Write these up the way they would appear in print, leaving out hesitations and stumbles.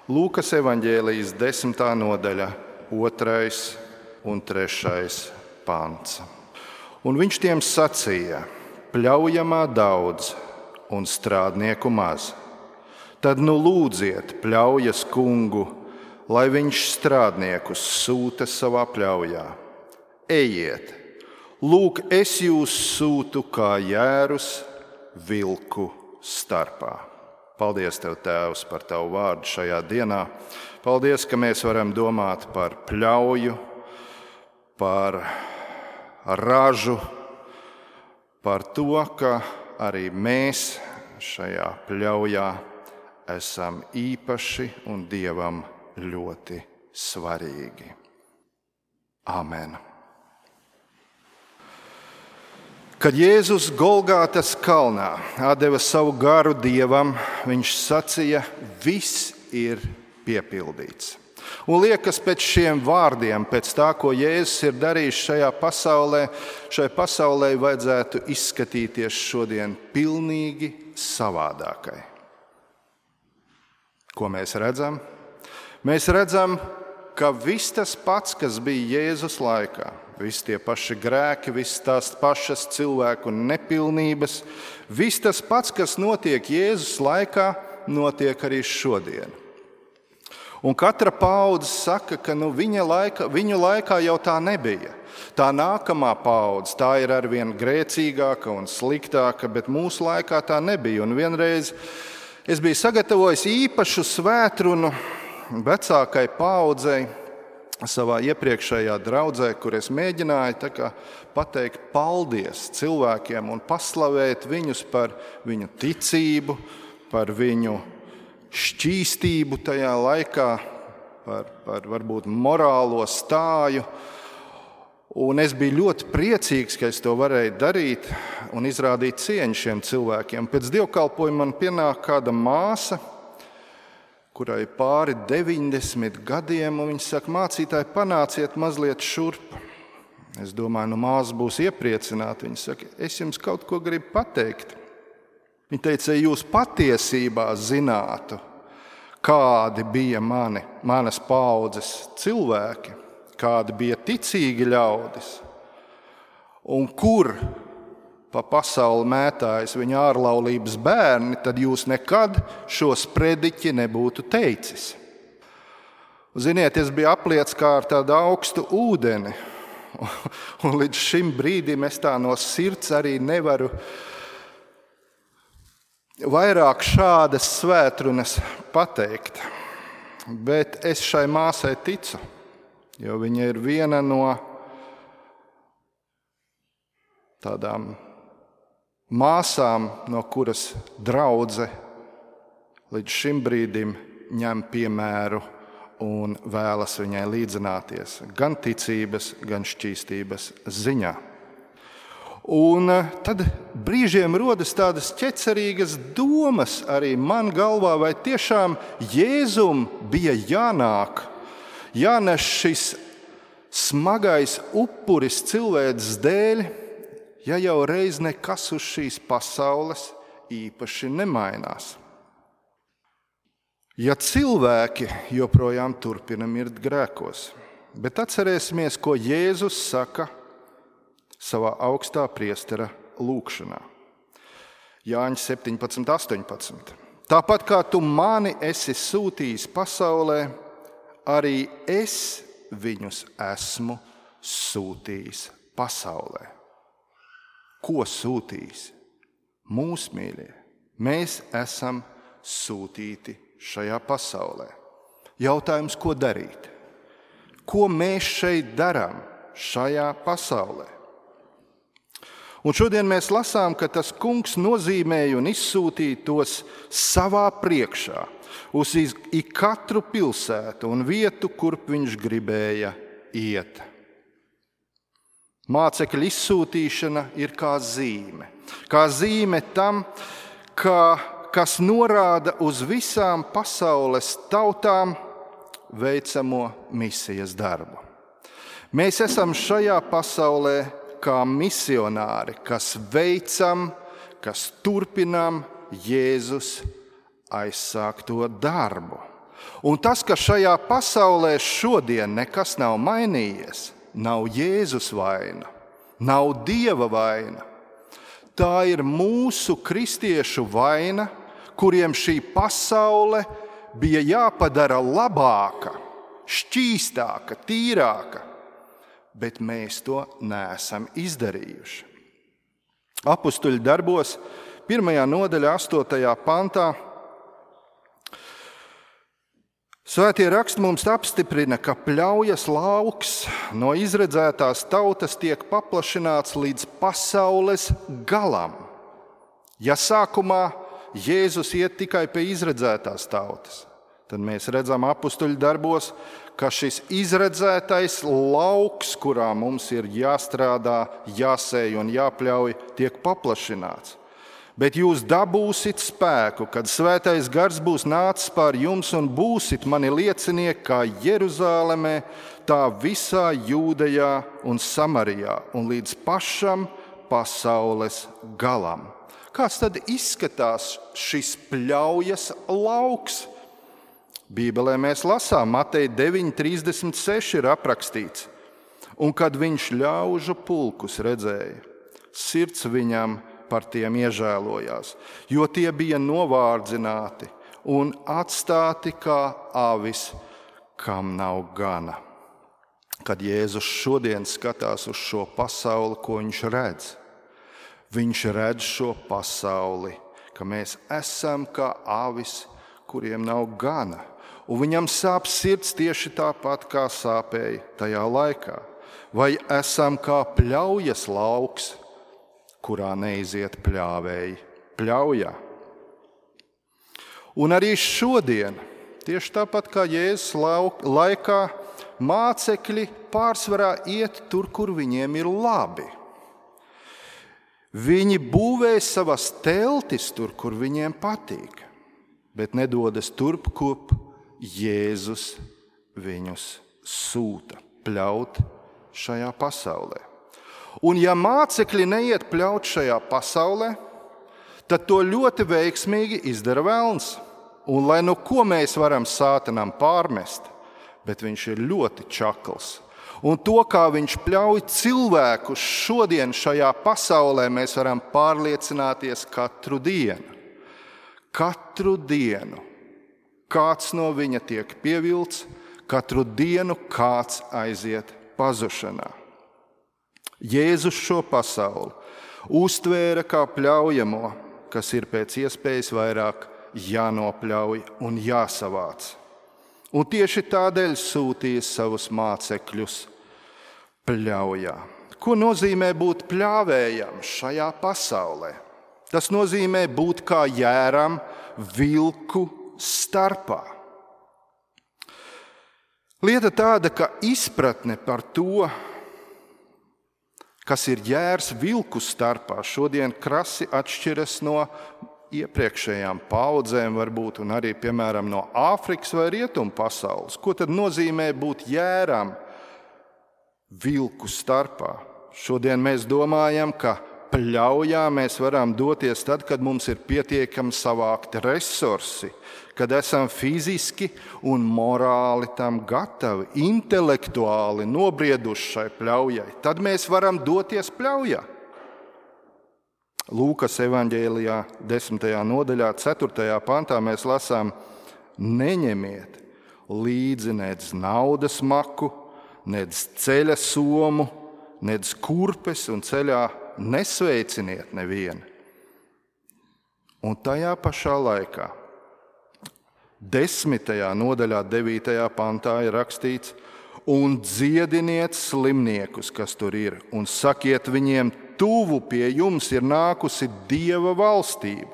Lūkas evaņģēlijas 10. nodaļa, 2. un 3. pants. Un viņš tiem sacīja: pļaujamā daudz un strādnieku maz. Tad nu lūdziet pļaujas kungu, lai viņš strādniekus sūta savā pļaujā. Ejiet, lūk, es jūs sūtu kā jērus vilku starpā. Paldies Tev, Tēvs, par Tavu vārdu šajā dienā. Paldies, ka mēs varam domāt par pļauju, par ražu, par to, ka arī mēs šajā pļaujā esam īpaši un Dievam ļoti svarīgi. Āmen. Kad Jēzus Golgātas kalnā atdeva savu garu Dievam, viņš sacīja: viss ir piepildīts. Un liekas, pēc šiem vārdiem, pēc tā, ko Jēzus ir darījis šai pasaulē vajadzētu izskatīties šodien pilnīgi savādākai. Ko mēs redzam? Mēs redzam, ka viss tas pats, kas bija Jēzus laikā, visi tie paši grēki, visas tās pašas cilvēku nepilnības, viss tas pats, kas notiek Jēzus laikā, notiek arī šodien. Un katra paudze saka, ka viņu laikā jau tā nebija. Tā nākamā paudze, tā ir arvien grēcīgāka un sliktāka, bet mūsu laikā tā nebija. Un vienreiz es biju sagatavojis īpašu svētrunu vecākai paudzei savā iepriekšējā draudzē, kur es mēģināju pateikt paldies cilvēkiem un paslavēt viņus par viņu ticību, par viņu šķīstību tajā laikā, par varbūt morālo stāju. Un es biju ļoti priecīgs, ka es to varēju darīt un izrādīt cieņu šiem cilvēkiem. Pēc dievkalpojuma man pienāk kāda māsa, kurai pāri 90 gadiem, un viņa saka: mācītāji, panāciet mazliet šurp. Es domāju, māsa būs iepriecināta. Viņa saka: es jums kaut ko gribu pateikt. Viņa teica, ja jūs patiesībā zinātu, kādi bija manas paaudzes cilvēki, kādi bija ticīgi ļaudis, un kur pa pasauli mētājas viņa ārlaulības bērni, tad jūs nekad šo sprediķi nebūtu teicis. Ziniet, es biju apliets kā ar tādu augstu ūdeni, un līdz šim brīdim es tā no sirds arī nevaru vairāk šādas svētrunas pateikt. Bet es šai māsai ticu, jo viņa ir viena no tādām māsām, no kuras draudze līdz šim brīdim ņem piemēru un vēlas viņai līdzināties gan ticības, gan šķīstības ziņā. Un tad brīžiem rodas tādas ķecerīgas domas arī man galvā, vai tiešām Jēzum bija jānes šis smagais upuris cilvēces dēļ, ja jau reiz nekas uz šīs pasaules īpaši nemainās. Ja cilvēki joprojām turpina mirt grēkos, bet atcerēsimies, ko Jēzus saka savā augstā priestera lūgšanā. Jāņa 17:18. Tāpat kā tu mani esi sūtījis pasaulē, arī es viņus esmu sūtījis pasaulē. Ko sūtījis? Mūs mīļie, mēs esam sūtīti šajā pasaulē. Jautājums, ko darīt? Ko mēs šeit darām šajā pasaulē? Un šodien mēs lasām, ka tas kungs nozīmēja un izsūtīja tos savā priekšā uz katru pilsētu un vietu, kurp viņš gribēja iet. Mācekļu izsūtīšana ir kā zīme tam, kas norāda uz visām pasaules tautām veicamo misijas darbu. Mēs esam šajā pasaulē kā misionāri, kas veicam, kas turpinām Jēzus aizsākto darbu. Un tas, ka šajā pasaulē šodien nekas nav mainījies, nav Jēzus vaina, nav Dieva vaina. Tā ir mūsu kristiešu vaina, kuriem šī pasaule bija jāpadara labāka, šķīstāka, tīrāka, bet mēs to neesam izdarījuši. Apustuļu darbos 1. nodaļa 8. pantā Svētie raksti mums apstiprina, ka pļaujas lauks no izredzētās tautas tiek paplašināts līdz pasaules galam. Ja sākumā Jēzus iet tikai pie izredzētās tautas, tad mēs redzam apustuļu darbos, ka šis izredzētais lauks, kurā mums ir jāstrādā, jāsēj un jāpļauj, tiek paplašināts. Bet jūs dabūsit spēku, kad Svētais Gars būs nācis pār jums un būsit mani liecinieki kā Jeruzālemē, tā visā Jūdejā un Samarijā un līdz pašam pasaules galam. Kāds tad izskatās šis pļaujas lauks? Bībelē mēs lasām, Mateja 9.36 ir aprakstīts. Un kad viņš ļaužu pulkus redzēja, sirds viņam par tiem iežēlojās, jo tie bija novārdzināti un atstāti kā avis, kam nav gana. Kad Jēzus šodien skatās uz šo pasauli, ko viņš redz? Viņš redz šo pasauli, ka mēs esam kā avis, kuriem nav gana. Un viņam sāp sirds tieši tāpat, kā sāpēja tajā laikā. Vai esam kā pļaujas lauks, kurā neiziet pļāvēji pļaujā? Un arī šodien, tieši tāpat kā Jēzus laikā, mācekļi pārsvarā iet tur, kur viņiem ir labi. Viņi būvē savas teltis tur, kur viņiem patīk, bet nedodas turp, kur Jēzus viņus sūta pļaut šajā pasaulē. Un ja mācekļi neiet pļaut šajā pasaulē, tad to ļoti veiksmīgi izdara velns. Un lai nu ko mēs varam sātanam pārmest, bet viņš ir ļoti čakls. Un to, kā viņš pļauj cilvēkus šodien šajā pasaulē, mēs varam pārliecināties katru dienu. Katru dienu kāds no viņa tiek pievilts, katru dienu kāds aiziet pazušanā. Jēzus šo pasauli uztvēra kā pļaujamo, kas ir pēc iespējas vairāk jānopļauj un jāsavāc. Un tieši tādēļ sūtīja savus mācekļus pļaujā. Ko nozīmē būt pļāvējam šajā pasaulē? Tas nozīmē būt kā jēram vilku starpā. Lieta tāda, ka izpratne par to, kas ir jērs vilku starpā, šodien krasi atšķiras no iepriekšējām paudzēm, varbūt, un arī, piemēram, no Āfrikas vai Rietumu pasaules. Ko tad nozīmē būt jēram vilku starpā? Šodien mēs domājam, ka pļaujā mēs varam doties tad, kad mums ir pietiekami savākti resursi, kad esam fiziski un morāli tam gatavi, intelektuāli nobrieduši šai pļaujai. Tad mēs varam doties pļaujā. Lūkas evaņģēlijā 10. nodaļā 4. pantā mēs lasām: neņemiet līdzi nedz naudas maku, nedz ceļa somu, nedz kurpes un ceļā nesveiciniet nevienu. Un tajā pašā laikā 10. nodaļā 9. pantā ir rakstīts: un dziediniet slimniekus, kas tur ir, un sakiet viņiem, tuvu pie jums ir nākusi Dieva valstība.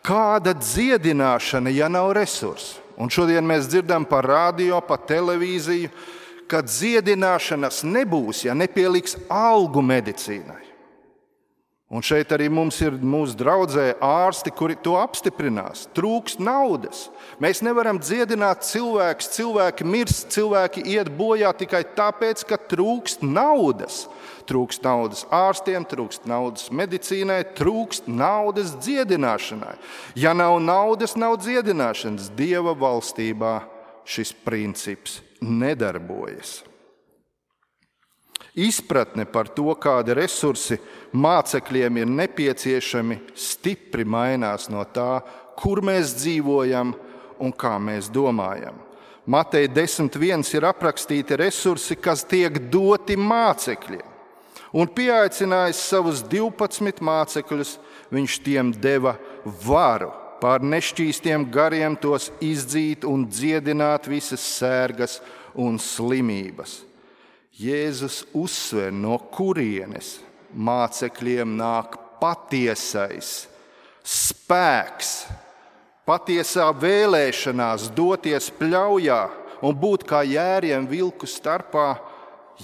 Kāda dziedināšana, ja nav resursu? Un šodien mēs dzirdam pa radio, pa televīziju, ka dziedināšanas nebūs, ja nepieliks algu medicīnai. Un šeit arī mums ir mūsu draudzē ārsti, kuri to apstiprinās. Trūkst naudas. Mēs nevaram dziedināt cilvēkus, cilvēki mirst, cilvēki iet bojā tikai tāpēc, ka trūkst naudas. Trūkst naudas ārstiem, trūkst naudas medicīnai, trūkst naudas dziedināšanai. Ja nav naudas, nav dziedināšanas. Dieva valstībā šis princips nedarbojas. Izpratne par to, kādi resursi mācekļiem ir nepieciešami, stipri mainās no tā, kur mēs dzīvojam un kā mēs domājam. Mateja 10.1 ir aprakstīti resursi, kas tiek doti mācekļiem. Un pieaicinājis savus 12 mācekļus, viņš tiem deva varu pār nešķīstiem gariem tos izdzīt un dziedināt visas sērgas un slimības. Jēzus uzsver, no kurienes mācekļiem nāk patiesais spēks, patiesā vēlēšanās doties pļaujā un būt kā jēriem vilku starpā.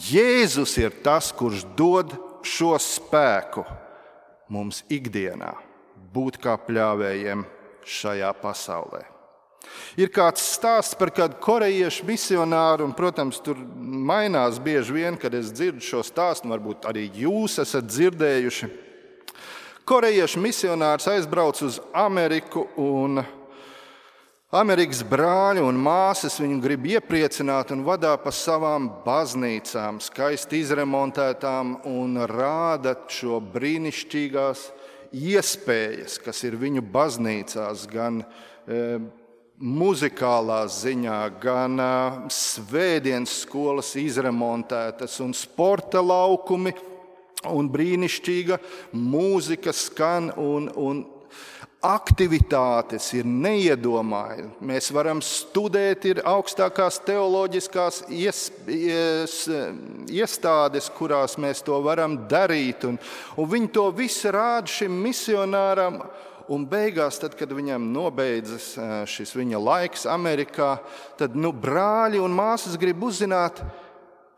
Jēzus ir tas, kurš dod šo spēku mums ikdienā, būt kā pļāvējiem šajā pasaulē. Ir kāds stāsts par kādu korejiešu misionāru, un, protams, tur mainās bieži vien, kad es dzirdu šo stāstu, varbūt arī jūs esat dzirdējuši. Korejiešu misionārs aizbrauc uz Ameriku, un Amerikas brāļi un māsas viņu grib iepriecināt un vadā pa savām baznīcām, skaisti izremontētām, un rāda šo brīnišķīgās iespējas, kas ir viņu baznīcās, gan muzikālā ziņā, gan svētdienas skolas izremontētas un sporta laukumi, un brīnišķīga mūzika skan un aktivitātes ir neiedomājami. Mēs varam studēt, ir augstākās teoloģiskās iestādes, kurās mēs to varam darīt. Un viņi to visu rāda šim misionāram. Un beigās, tad, kad viņam nobeidzas šis viņa laiks Amerikā, tad brāļi un māsas grib uzzināt,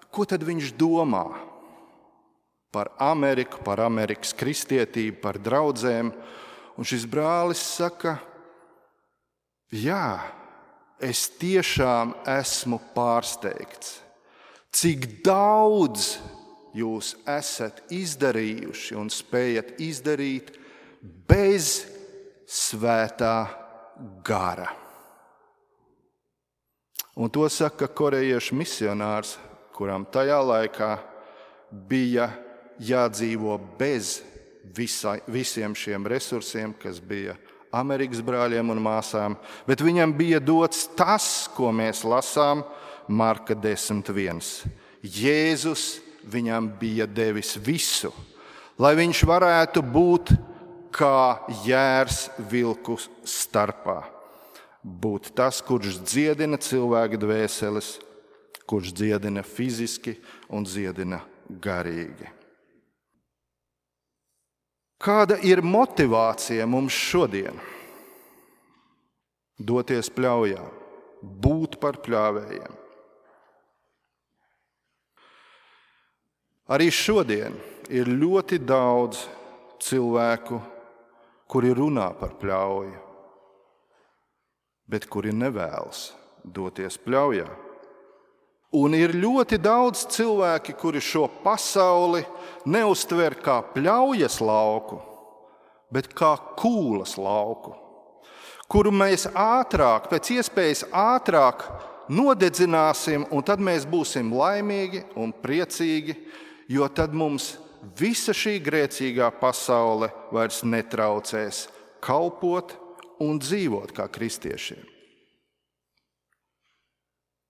ko tad viņš domā par Ameriku, par Amerikas kristietību, par draudzēm. Un šis brālis saka, jā, es tiešām esmu pārsteigts, cik daudz jūs esat izdarījuši un spējat izdarīt bez svētā gara. Un to saka korejiešu misionārs, kuram tajā laikā bija jādzīvo bez visiem šiem resursiem, kas bija Amerikas brāļiem un māsām, bet viņam bija dots tas, ko mēs lasām Marka 10.1. Jēzus viņam bija devis visu, lai viņš varētu būt kā jērs vilku starpā. Būt tas, kurš dziedina cilvēka dvēseles, kurš dziedina fiziski un dziedina garīgi. Kāda ir motivācija mums šodien? Doties pļaujā, būt par pļāvējiem. Arī šodien ir ļoti daudz cilvēku, kuri runā par pļauju, bet kuri nevēlas doties pļaujā. Un ir ļoti daudz cilvēki, kuri šo pasauli neuztver kā pļaujas lauku, bet kā kūlas lauku, kuru mēs ātrāk, pēc iespējas ātrāk nodedzināsim, un tad mēs būsim laimīgi un priecīgi, jo tad mums visa šī grēcīgā pasaule vairs netraucēs kalpot un dzīvot kā kristiešiem.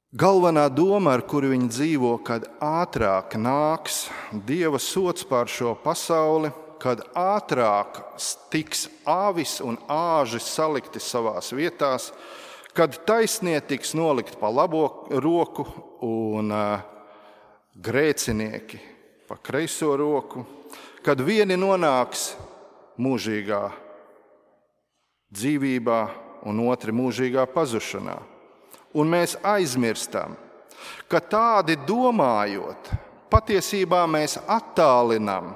Galvenā doma, ar kuru viņi dzīvo, kad ātrāk nāks Dieva sods pār šo pasauli, kad ātrāk tiks āvis un āži salikti savās vietās, kad taisnie tiks nolikt pa labo roku un grēcinieki pa kreiso roku, kad vieni nonāks mūžīgā dzīvībā un otri mūžīgā pazušanā. Un mēs aizmirstam, ka tādi domājot, patiesībā mēs attālinām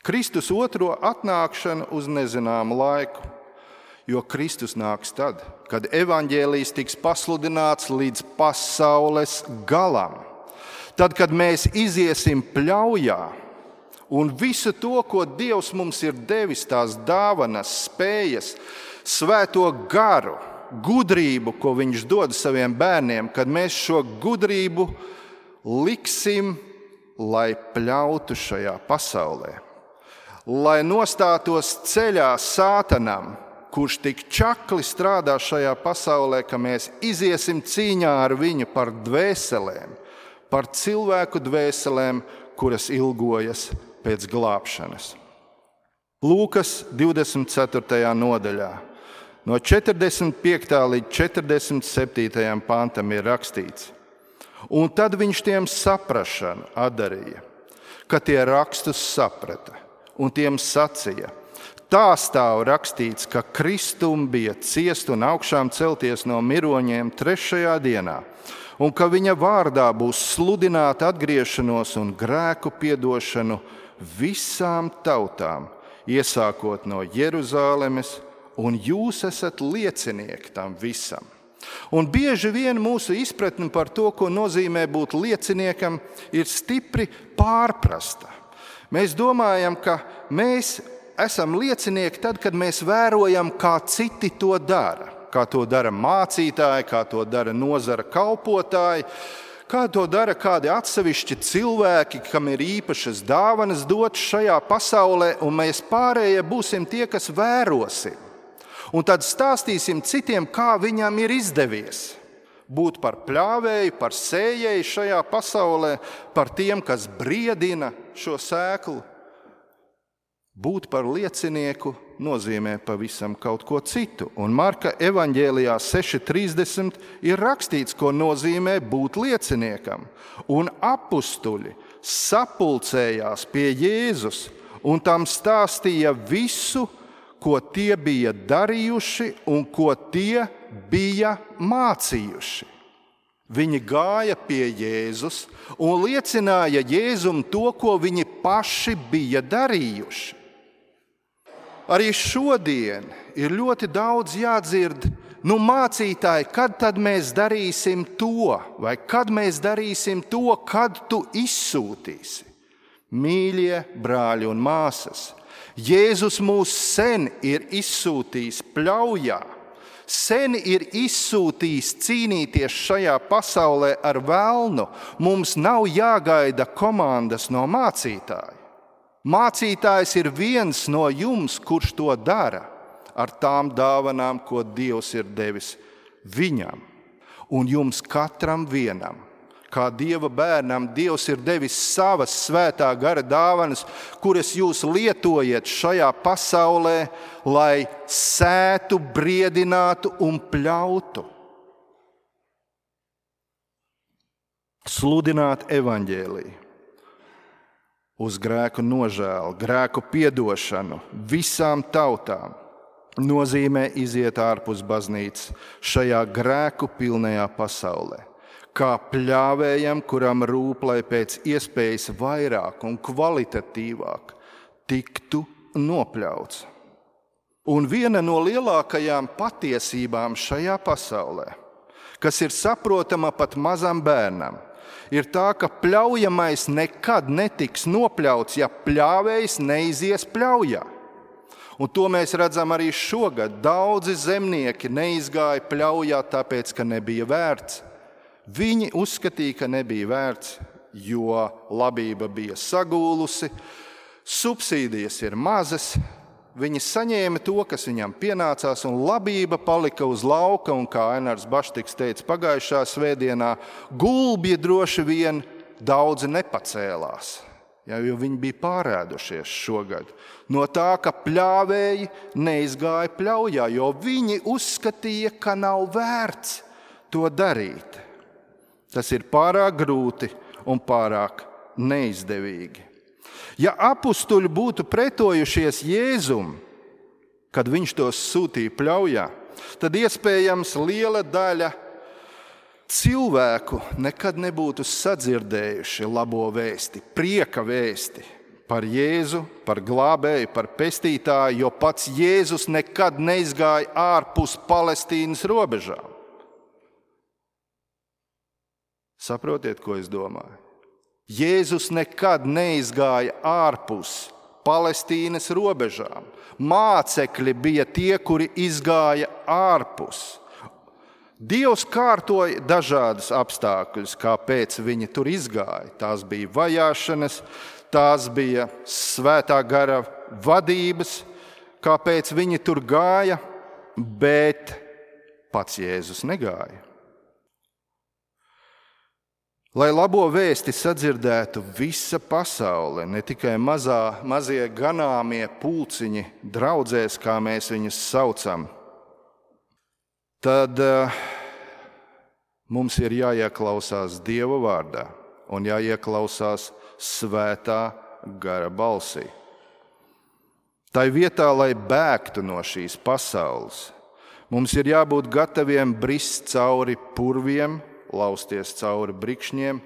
Kristus otro atnākšanu uz nezināmu laiku, jo Kristus nāks tad, kad evaņģēlijs tiks pasludināts līdz pasaules galam. Tad, kad mēs iziesim pļaujā un visu to, ko Dievs mums ir devis, tās dāvanas, spējas, svēto garu, gudrību, ko viņš dod saviem bērniem, kad mēs šo gudrību liksim, lai pļautu šajā pasaulē, lai nostātos ceļā Sātanam, kurš tik čakli strādā šajā pasaulē, ka mēs iziesim cīņā ar viņu par dvēselēm, par cilvēku dvēselēm, kuras ilgojas pēc glābšanas. Lūkas 24. nodaļā, no 45. līdz 47. pantam ir rakstīts: Un tad viņš tiem saprašanu atdarīja, ka tie rakstus saprata, un tiem sacīja: Tā stāv rakstīts, ka Kristum bija ciest un augšām celties no miroņiem 3. dienā, un ka viņa vārdā būs sludināta atgriešanos un grēku piedošanu visām tautām, iesākot no Jeruzālemes, un jūs esat liecinieki tam visam. Un bieži vien mūsu izpratne par to, ko nozīmē būt lieciniekam, ir stipri pārprasta. Mēs domājam, ka mēs esam liecinieki tad, kad mēs vērojam, kā citi to dara. Kā to dara mācītāji, kā to dara nozara kalpotāji, kā to dara kādi atsevišķi cilvēki, kam ir īpašas dāvanas dotas šajā pasaulē, un mēs pārējie būsim tie, kas vērosim. Un tad stāstīsim citiem, kā viņam ir izdevies būt par pļāvēju, par sējēju šajā pasaulē, par tiem, kas briedina šo sēklu. Būt par liecinieku nozīmē pavisam kaut ko citu. Un Marka evaņģēlijā 6.30 ir rakstīts, ko nozīmē būt lieciniekam. Un apustuļi sapulcējās pie Jēzus un tam stāstīja visu, ko tie bija darījuši un ko tie bija mācījuši. Viņi gāja pie Jēzus un liecināja Jēzum to, ko viņi paši bija darījuši. Arī šodien ir ļoti daudz jādzird, mācītāji, kad tad mēs darīsim to, vai kad mēs darīsim to, kad tu izsūtīsi. Mīļie brāļi un māsas, Jēzus mūs sen ir izsūtījis pļaujā, sen ir izsūtījis cīnīties šajā pasaulē ar velnu. Mums nav jāgaida komandas no mācītāja. Mācītājs ir viens no jums, kurš to dara ar tām dāvanām, ko Dievs ir devis viņam. Un jums katram vienam, kā Dieva bērnam, Dievs ir devis savas svētā gara dāvanas, kuras jūs lietojat šajā pasaulē, lai sētu, briedinātu un pļautu. Sludināt evaņģēliju. Uz grēku nožēlu, grēku piedošanu visām tautām nozīmē iziet ārpus baznīcas šajā grēku pilnajā pasaulē. Kā pļāvējam, kuram rūp, lai pēc iespējas vairāk un kvalitatīvāk tiktu nopļauts. Un viena no lielākajām patiesībām šajā pasaulē, kas ir saprotama pat mazam bērnam, ir tā, ka pļaujamais nekad netiks nopļauts, ja pļāvējs neizies pļaujā. Un to mēs redzam arī šogad. Daudzi zemnieki neizgāja pļaujā, tāpēc, ka nebija vērts. Viņi uzskatīja, ka nebija vērts, jo labība bija sagūlusi, subsīdijas ir mazas. Viņi saņēma to, kas viņam pienācās, un labība palika uz lauka, un kā Ainārs Baštiks teica pagājušā svētdienā, gulbji droši vien daudzi nepacēlās, jo viņi bija pārēdušies šogad. No tā, ka pļāvēji neizgāja pļaujā, jo viņi uzskatīja, ka nav vērts to darīt. Tas ir pārāk grūti un pārāk neizdevīgi. Ja apustuļi būtu pretojušies Jēzum, kad viņš tos sūtīja pļaujā, tad iespējams liela daļa cilvēku nekad nebūtu sadzirdējuši labo vēsti, prieka vēsti par Jēzu, par glābēju, par pestītāju, jo pats Jēzus nekad neizgāja ārpus Palestīnas robežām. Saprotiet, ko es domāju? Jēzus nekad neizgāja ārpus Palestīnas robežām. Mācekļi bija tie, kuri izgāja ārpus. Dievs kārtoja dažādus apstākļus, kāpēc viņi tur izgāja. Tās bija vajāšanas, tās bija svētā gara vadības, kāpēc viņi tur gāja, bet pats Jēzus negāja. Lai labo vēsti sadzirdētu visa pasaule, ne tikai mazie ganāmie pulciņi draudzēs, kā mēs viņus saucam, tad mums ir jāieklausās Dieva vārdā un jāieklausās svētā gara balsī. Tai vietā, lai bēgtu no šīs pasaules, mums ir jābūt gataviem brist cauri purviem, lausties cauri brikšņiem,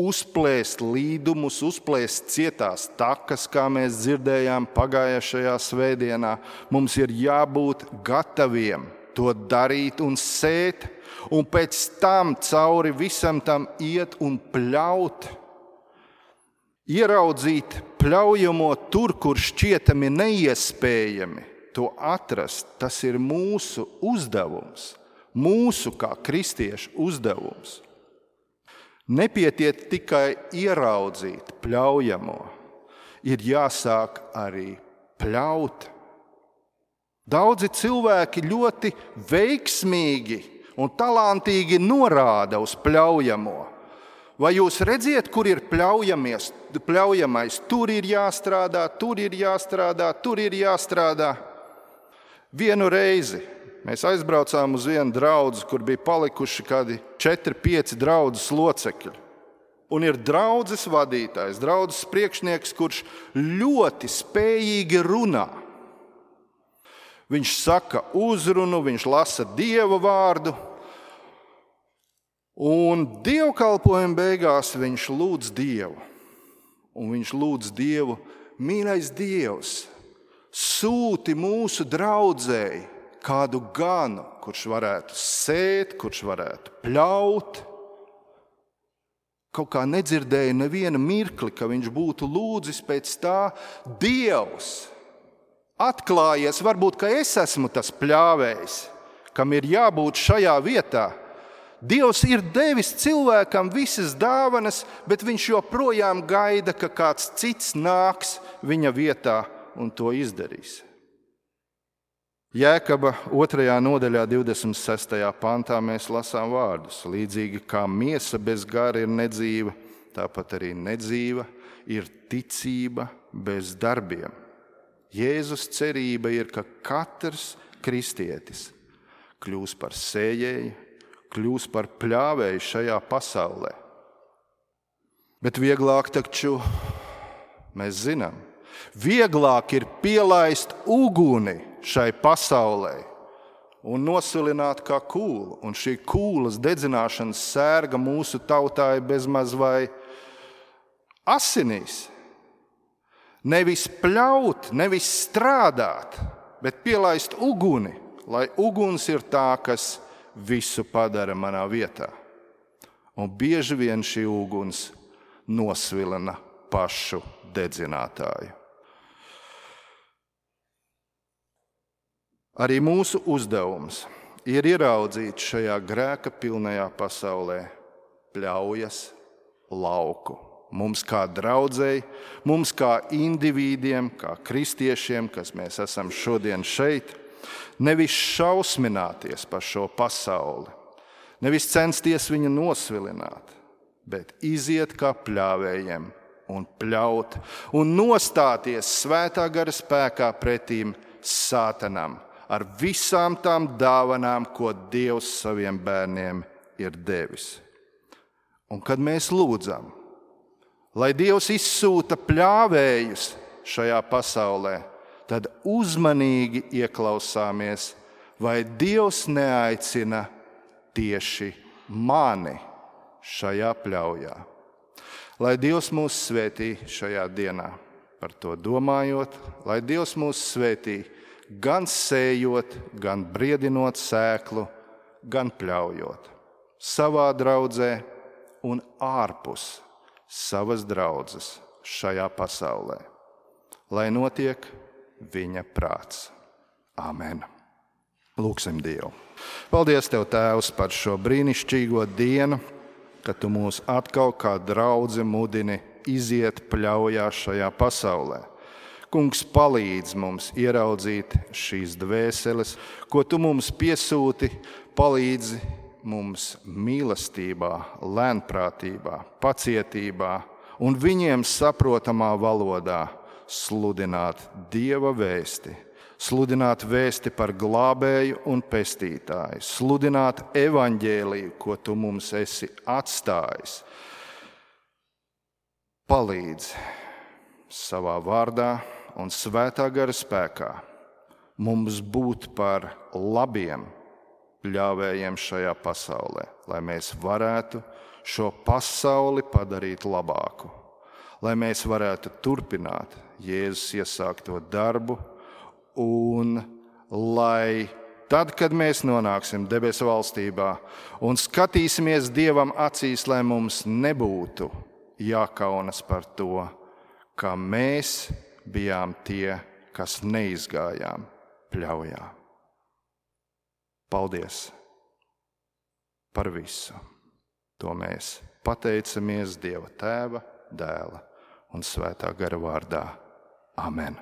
uzplēst līdumus, uzplēst cietās takas, kā mēs dzirdējām pagājušajā svētdienā. Mums ir jābūt gataviem to darīt un sēt, un pēc tam cauri visam tam iet un pļaut. Ieraudzīt pļaujamo tur, kur šķietami neiespējami, to atrast, tas ir mūsu uzdevums. Mūsu kā kristiešu uzdevums. Nepietiek tikai ieraudzīt pļaujamo, ir jāsāk arī pļaut. Daudzi cilvēki ļoti veiksmīgi un talantīgi norāda uz pļaujamo. Vai jūs redziet, kur ir pļaujamais? Tur ir jāstrādā, tur ir jāstrādā, tur ir jāstrādā. Vienu reizi mēs aizbraucām uz vienu draudzi, kur bija palikuši kādi 4-5 draudzes locekļi. Un ir draudzes vadītājs, draudzes priekšnieks, kurš ļoti spējīgi runā. Viņš saka uzrunu, viņš lasa Dieva vārdu. Un dievkalpojuma beigās viņš lūdz Dievu. Un viņš lūdz Dievu: mīļais Dievs, sūti mūsu draudzēji kādu ganu, kurš varētu sēt, kurš varētu pļaut. Kaut kā nedzirdēju nevienu mirkli, ka viņš būtu lūdzis pēc tā: Dievs, atklājies, varbūt, ka es esmu tas pļāvējs, kam ir jābūt šajā vietā. Dievs ir devis cilvēkam visas dāvanas, bet viņš joprojām gaida, ka kāds cits nāks viņa vietā un to izdarīs. Jēkaba 2. nodaļā 26. pantā mēs lasām vārdus: līdzīgi kā miesa bez gara ir nedzīva, tāpat arī nedzīva ir ticība bez darbiem. Jēzus cerība ir, ka katrs kristietis kļūs par sējēju, kļūs par pļāvēju šajā pasaulē. Bet vieglāk taču mēs zinām, vieglāk ir pielaist uguni šai pasaulē un nosilināt kā kūlu. Un šī kūlas dedzināšanas sērga mūsu tautā ir bezmaz vai asinīs. Nevis pļaut, nevis strādāt, bet pielaist uguni, lai uguns ir tā, kas visu padara manā vietā. Un bieži vien šī uguns nosvilina pašu dedzinātāju. Arī mūsu uzdevums ir ieraudzīt šajā grēka pilnajā pasaulē pļaujas lauku. Mums kā draudzei, mums kā indivīdiem, kā kristiešiem, kas mēs esam šodien šeit, nevis šausmināties par šo pasauli, nevis censties viņu nosvilināt, bet iziet kā pļāvējiem un pļaut un nostāties svētā gara spēkā pretīm Sātanam ar visām tām dāvanām, ko Dievs saviem bērniem ir devis. Un kad mēs lūdzam, lai Dievs izsūta pļāvējus šajā pasaulē, tad uzmanīgi ieklausāmies, vai Dievs neaicina tieši mani šajā pļaujā. Lai Dievs mūs svētī šajā dienā, par to domājot, lai Dievs mūs svētī gan sējot, gan briedinot sēklu, gan pļaujot savā draudzē un ārpus savas draudzes šajā pasaulē. Lai notiek viņa prāts. Āmen. Lūksim Dievu. Paldies Tev, Tēvs, par šo brīnišķīgo dienu, kad Tu mūs atkal kā draudzi mudini iziet pļaujā šajā pasaulē. Kungs, palīdz mums ieraudzīt šīs dvēseles, ko Tu mums piesūti, palīdzi mums mīlestībā, lēnprātībā, pacietībā un viņiem saprotamā valodā sludināt Dieva vēsti, sludināt vēsti par glābēju un pestītāju, sludināt evaņģēliju, ko Tu mums esi atstājis. Palīdz savā vārdā un svētā gara spēkā mums būt par labiem pļāvējiem šajā pasaulē, lai mēs varētu šo pasauli padarīt labāku, lai mēs varētu turpināt Jēzus iesākto darbu un lai tad, kad mēs nonāksim debesu valstībā un skatīsimies Dievam acīs, lai mums nebūtu jākaunas par to, ka mēs bijām tie, kas neizgājām pļaujā. Paldies par visu. To mēs pateicamies Dieva Tēva, Dēla un Svētā gara vārdā. Amen.